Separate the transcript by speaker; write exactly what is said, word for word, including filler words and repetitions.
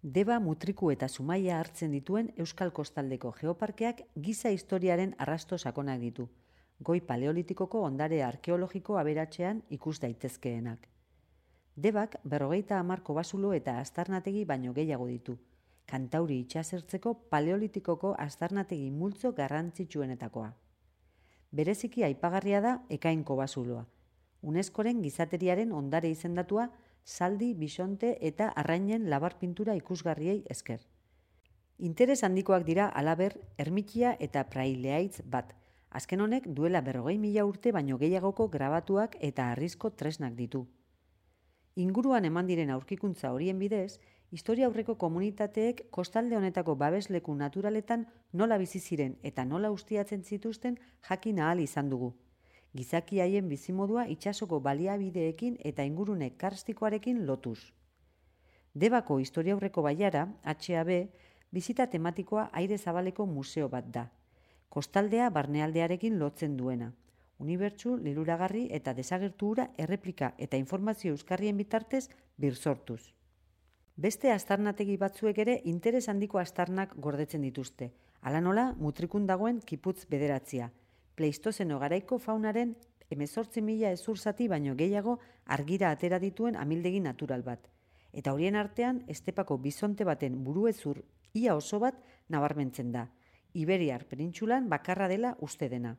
Speaker 1: Deba, Mutriku eta Zumaia hartzen dituen Euskal Kostaldeko Geoparkeak giza historiaren arrasto sakonak ditu, goi paleolitikoko ondare arkeologiko aberatsean ikus daitezkeenak. Debak berrogeita hamar kobasulo eta aztarnategi baino gehiago ditu, Kantauri itsasertzeko paleolitikoko aztarnategi multzo garrantzitsuenetakoa. Bereziki aipagarria da Ekain kobasuloa, UNESCOren gizateriaren ondare izendatua zaldi, bisonte eta arrainen labar pintura ikusgarriei esker. Interes handikoak dira halaber ermitia eta praileaitz bat, azken honek duela berrogei mila urte baino gehiagoko grabatuak eta harrizko tresnak ditu. Inguruan eman diren aurkikuntza horien bidez, historia aurreko komunitateek kostalde honetako babesleku naturaletan nola bizi ziren eta nola ustiatzen zituzten jakin ahal izan dugu. Gizaki haien bizimodua itsasoko baliabideekin eta ingurune karstikoarekin lotuz. Debako historiaurreko bailara, H A B, bizita tematikoa aire zabaleko museo bat da. Kostaldea barnealdearekin lotzen duena. Unibertsu, liluragarri eta desagertu hura erreplika eta informazio euskarrien bitartez birsortuz. Beste aztarnategi batzuek ere interes handiko aztarnak gordetzen dituzte. Hala nola, Mutrikun dagoen kiputz bederatzia. Pleistozeno garaiko faunaren hemezortzi mila hezur zati baino gehiago argira atera dituen amildegi natural bat. Eta horien artean, estepako bisonte baten buruhezur ia oso bat nabarmentzen da. Iberiar penintsulan bakarra dela uste dena.